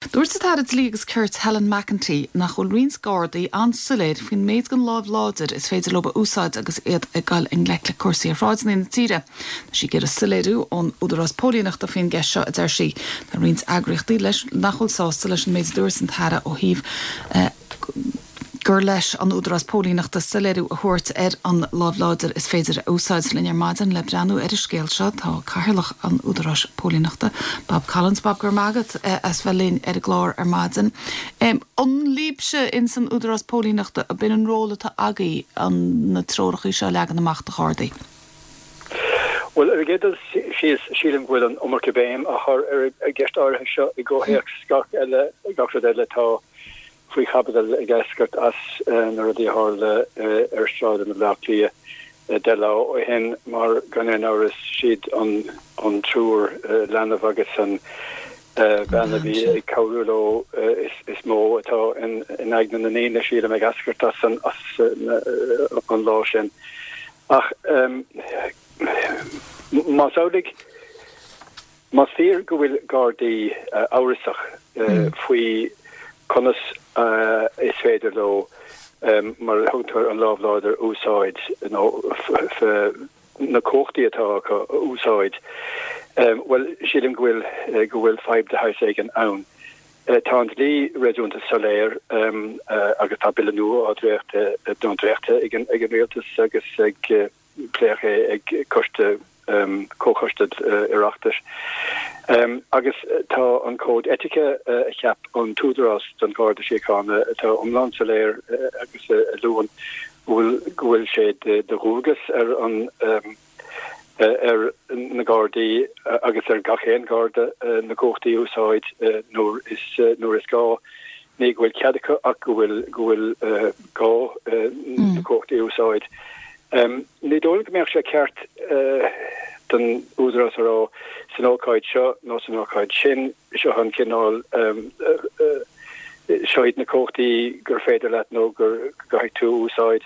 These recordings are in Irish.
Dúirt an tAire Dlí agus Cirt Helen McEntee nach bhfuil roinnt Gardaí an-soiléir faoin méid den láimh láidir is féidir leo a úsáid agus iad ag dul i ngleic le cúrsaí ar shráideanna na tíre. Tá sí ag iarraidh soiléiriú ón Údarás Póilíneachta faoin gceist seo, a deir sí. Tá roinnt eagraíochtaí leis nach bhfuil sásta leis an méid a dúirt an tAire ó thaobh gur leis an Údarás Póilíneachta soiléiriú a thabhairt ar an láimh láidir is féidir a úsáid. Linn ar maidin le breathnú ar an scéal seo tá Cathaoirleach an Údaráis Póilíneachta, Bob Collins. Bob, go raibh maith agat as bheith linn ar an gclár ar maidin. An libhse ins an Údarás Póilíneachta, ab in an ról atá agaibh an na treorachaí seo a leagan amach do Ghardaí? Bhuel, ar an gcéad dul síos, sílim go bhfuil an iomarca béim á chur ar an gceist áirithe seo i gcomhthéacs gach eile, gach rud eile atá faoi chaibidil ag eascairt as na rudaí a tharla ar shráideanna Bhaile Átha Cliath 10 lá ó shin mar gan aon amhras siad an triúr leanbh agus an bhean a bhí ag cabhrú leo is mó atá in aigne na ndaoine, sílim, ag eascairt as an lá sin. Ach más amhlaidh. Más fíor go bhfuil Gardaí amhrasach faoi conas is féidir leo, mar a thugtar an lámh láidir a úsáid nó na cumhachtaí atá acu a úsáid, bhuel, sílim go bhfuil go bhfuil fadhb de shaghas éigin ann. Tá an dlí réasúnta soiléir agus tá bille nua á dréachtadh nó dréachtaithe ag an rialtas agus ag Pléadh é ag coiste, comhchoiste Oireachtais. Agus tá an cód eitice a cheap an tÚdarás don Gharda Síochána atá iomlán soiléir agus a luann go bhfuil go bhfuil sé de dhualgas ar an ar na Gardaí agus ar gach aon Gharda na cumhachtaí a úsáid nuair is nuair is gá. Ní go bhfuil cead acu ach go bhfuil go bhfuil gá na cumhachtaí a úsáid. Ní dóigh liom go mbeadh sé ceart don Údarás a rá san ócáid seo nó san ócáid sin, seo an cineál, seo iad na cumhachtaí gur féidir leat nó go gcaithfidh tú a úsáid.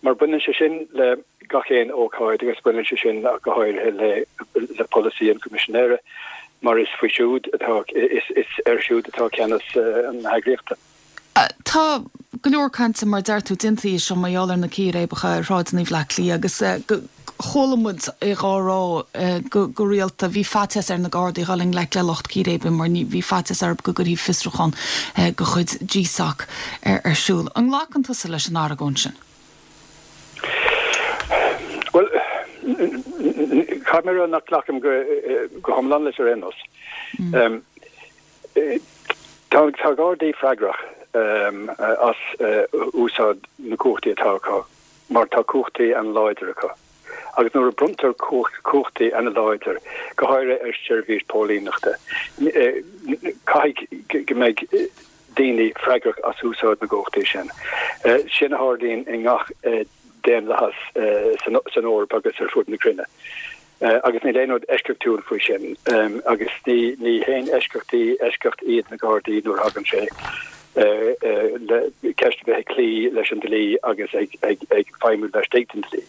Mar baineann sé sin le gach aon ócáid agus baineann sé sin ach go háirithe le le polasaí an Choimisinéara mar is faoi siúd atá, is air siúd atá ceannas na heagraíochta. Tá go leor cainte, mar a deir tú, déanta air seo mar gheall ar na círéibeacha ar shráideanna Bhaile Átha Cliath agus chuala muid é dhá rá go rialta, bhí faitíos ar na Gardaí dhul i ngleic le lucht círéibe mar bhí faitíos orthu go gcuirfí fiosrúchán de chuid GSOC ar siúl. An nglacann tusa leis an argóint sin? Bhuel, caithfidh mé a rá nach nglacaim go hiomlán leis ar aon nós. Tá Gardaí freagrach as úsáid na gcumhachtaí atá acu mar tá cumhachtaí an-láidir acu. Agus nuair a bronntar cumhachtaí an-láidir, go háirithe ar sheirbhís póilíneachta, caithfidh go mbeidh daoine freagrach as úsáid na gcumhachtaí sin. Sin a tharlaíonn i ngach daonlathas san Eoraip agus ar fud na cruinne. Agus níl aon rud eisceachtúil faoi sin. Agus ní haon eisceachtaí eisceacht iad na Gardaí nuair a thagann sé le ceist a bheith ag cloí leis an dlí agus ag feidhmiú laistigh den dlí.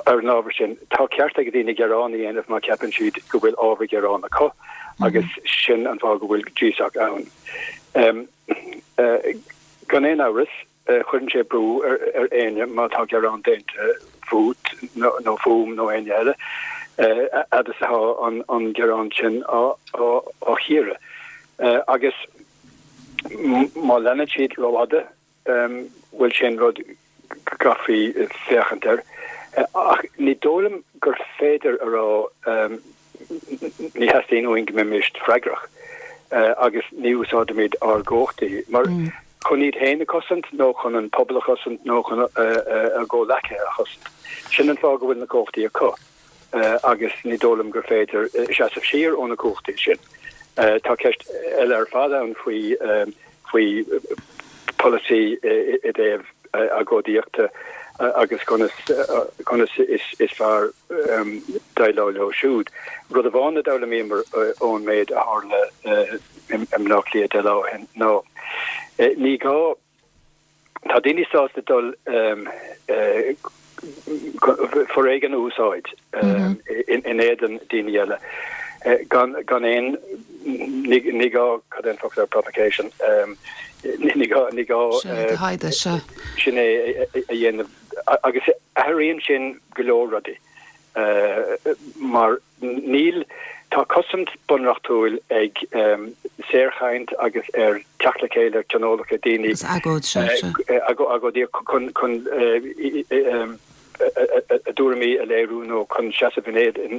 Ar an ábhar sin, tá ceart ag daoine gearán a dhéanamh má cheapann siad go bhfuil ábhar gearáin acu agus sin an fáth go bhfuil GSOC ann. Gan aon amhras, Cuireann sé brú ar éinne má tá gearán déanta fút nó fúm nó éinne eile, fhad is atá an gearán sin á chíoradh. Agus má leanann siad rófhada, bhuel sin rud go gcaithfí féachaint air. Ach ní dóigh liom gur féidir a rá Ní theastaíonn uainn go mbeimis freagrach agus ní úsáidimid ár gcumhachtaí mar chun iad féin a chosaint nó chun an pobal a chosaint nó chun a gcomhleacaithe a chosaint. Sin an fáth go bhfuil na cumhachtaí acu agus ní dóigh liom gur féidir seasamh siar ó na cumhachtaí sin. Tá ceist eile ar fad ann faoi faoi pholasaí i dtaobh agóidíochta agus conas conas is fearr déileáil leo siúd. Rud amháin a d'fhoghlaimíomar ón méid a tharla i mBaile Átha Cliath 10 lá ó shin ná ní gá, tá daoine sásta dul foréigean a úsáid in éadan daoine eile gan gan aon. Ní gá, cad é an focal ar provocation? Ní gá, ní gá. Sin é do thaighde, sea. Sin é a dhéanamh agus athraíonn sin go leor rudaí mar níl, tá cosaint bunreachtúil ag saorchaint agus ar teacht le chéile, ar tionólacha daoine. Agus agóid, sea, sea. Agóidí chun, chun a dtuairimí a léiriú nó chun seasamh in éadan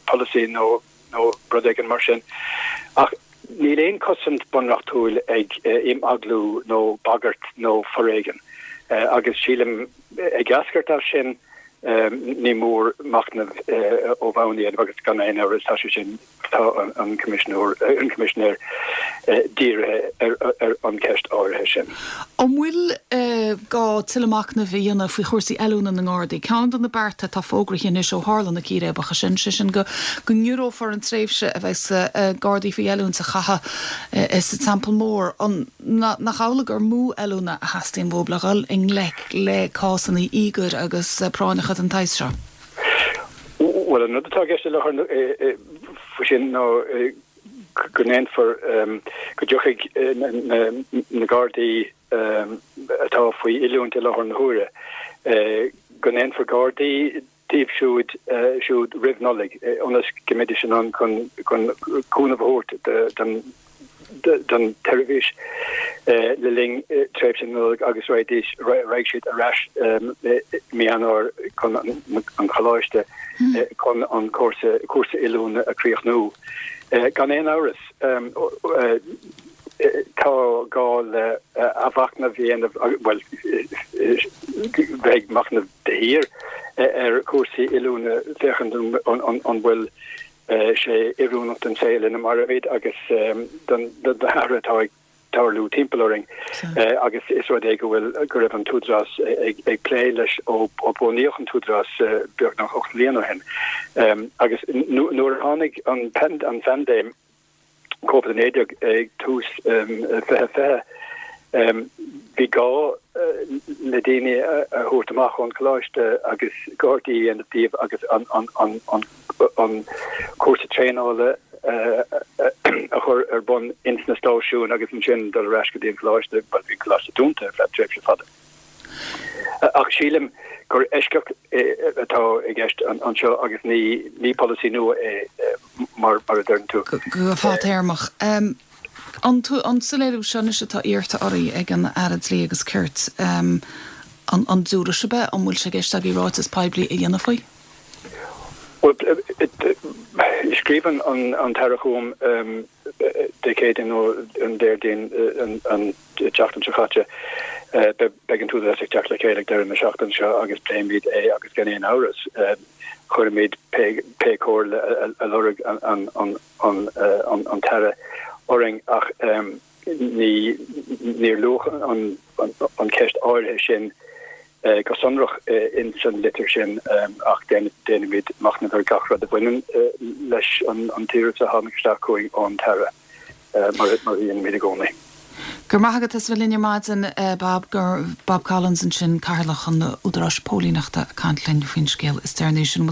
polasaí nó nó rud éigin mar sin. Ach níl aon chosaint bunreachtúil ag imeaglú nó bagairt nó foréigean. Agus sílim, ag eascairt as sin, ní mór machnamh ó bhonn a dhéanamh agus gan aon amhras tá sé sin, tá an Coimisinéir, an Coimisinéir dírithe ar an cheist áirithe sin. An bhfuil gá tuilleadh machnaimh a dhéanamh faoi chúrsaí oiliúna na nGardaí? Ceann de na bearta atá fógraithe anois ó tharla na círéibeacha sin, sé sin go ngiorrófar an tréimhse a bheas Gardaí faoi oiliúint a chaitheamh sa Teampall Mór. An nach amhlaidh gur mó oiliúna a theastaíonn uathu le dhul i ngleic le cásanna íogair agus práinneacha den tsaghas seo? Bhuel, an rud atá i gceist i láthair faoi sin ná go ndéanfar, go dtiocfaidh na Gardaí atá faoi oiliúint i láthair na huaire, go ndéanfar Gardaí díobh siúd siúd roimh Nollaig ionas go mbeidís in ann chun cúnamh a thabhairt don don tseirbhís le linn tréimhse na Nollag agus raghaidís, raghaidh siad ar ais i mí Eanáir chun an choláiste chun an cúrsa cúrsa oiliúna a chríochnú. Gan aon amhras, tá gá le athmhachnamh a dhéanamh, bhuel, bheith ag machnamh de shíor ar chúrsaí oiliúna féachaint an bhfuil sé oiriúnach don saol ina mairimid agus don na hathruithe atá ag tarlú timpeall orainn agus is rud é go bhfuil go raibh an tÚdarás ag ag plé leis ó ó bunaíodh an tÚdarás beagnach 8 mbliana ó shin. Agus nuair a tháinig an an phaindéim Covid-19 ag tús 2020, bhí gá le daoine a thabhairt amach ón choláiste agus Gardaí a dhéanamh díobh agus an cúrsa traenála a chur ar bun ins na stáisiúin agus ansin dul ar ais go dtí an coláiste, bhuel bhí an coláiste dúnta ar feadh tréimhse fada. Ach sílim gur eisceacht atá i gceist anseo agus ní polasaí nua é mar a deireann tú. Go fadtéarmach. An soiléiriú seo anois atá iarrta oraibh ag an Aire Dlí agus Cirt, an dtiúrfaidh sibh é? An bhfuil sé i gceist agaibh ráiteas poiblí a dhéanamh faoi? Bhuel, scríobh an tAire chugam Dé Céadaoin nó an Déardaoin an tseachtain seo caite. Beidh an tÚdarás ag teacht le chéile ag deireadh na seachtaine seo agus pléimid é agus gan aon amhras cuirfimid pé comhairle a lorg an tAire orainn ach ní níor luadh an cheist áirithe sin go sonrach ins an litir sin ach déanfaimid machnamh ar gach rud a bhaineann leis an t-iarratas a tháinig isteach chugainn ón tAire, mar a dhéanaimid i gcónaí. Go raibh maith agat as a bheith linn ar maidin, Bob. Bob Collins ansin, Cathaoirleach an Údaráis Póilíneachta ag caint linn faoin scéal is deireanaí sin.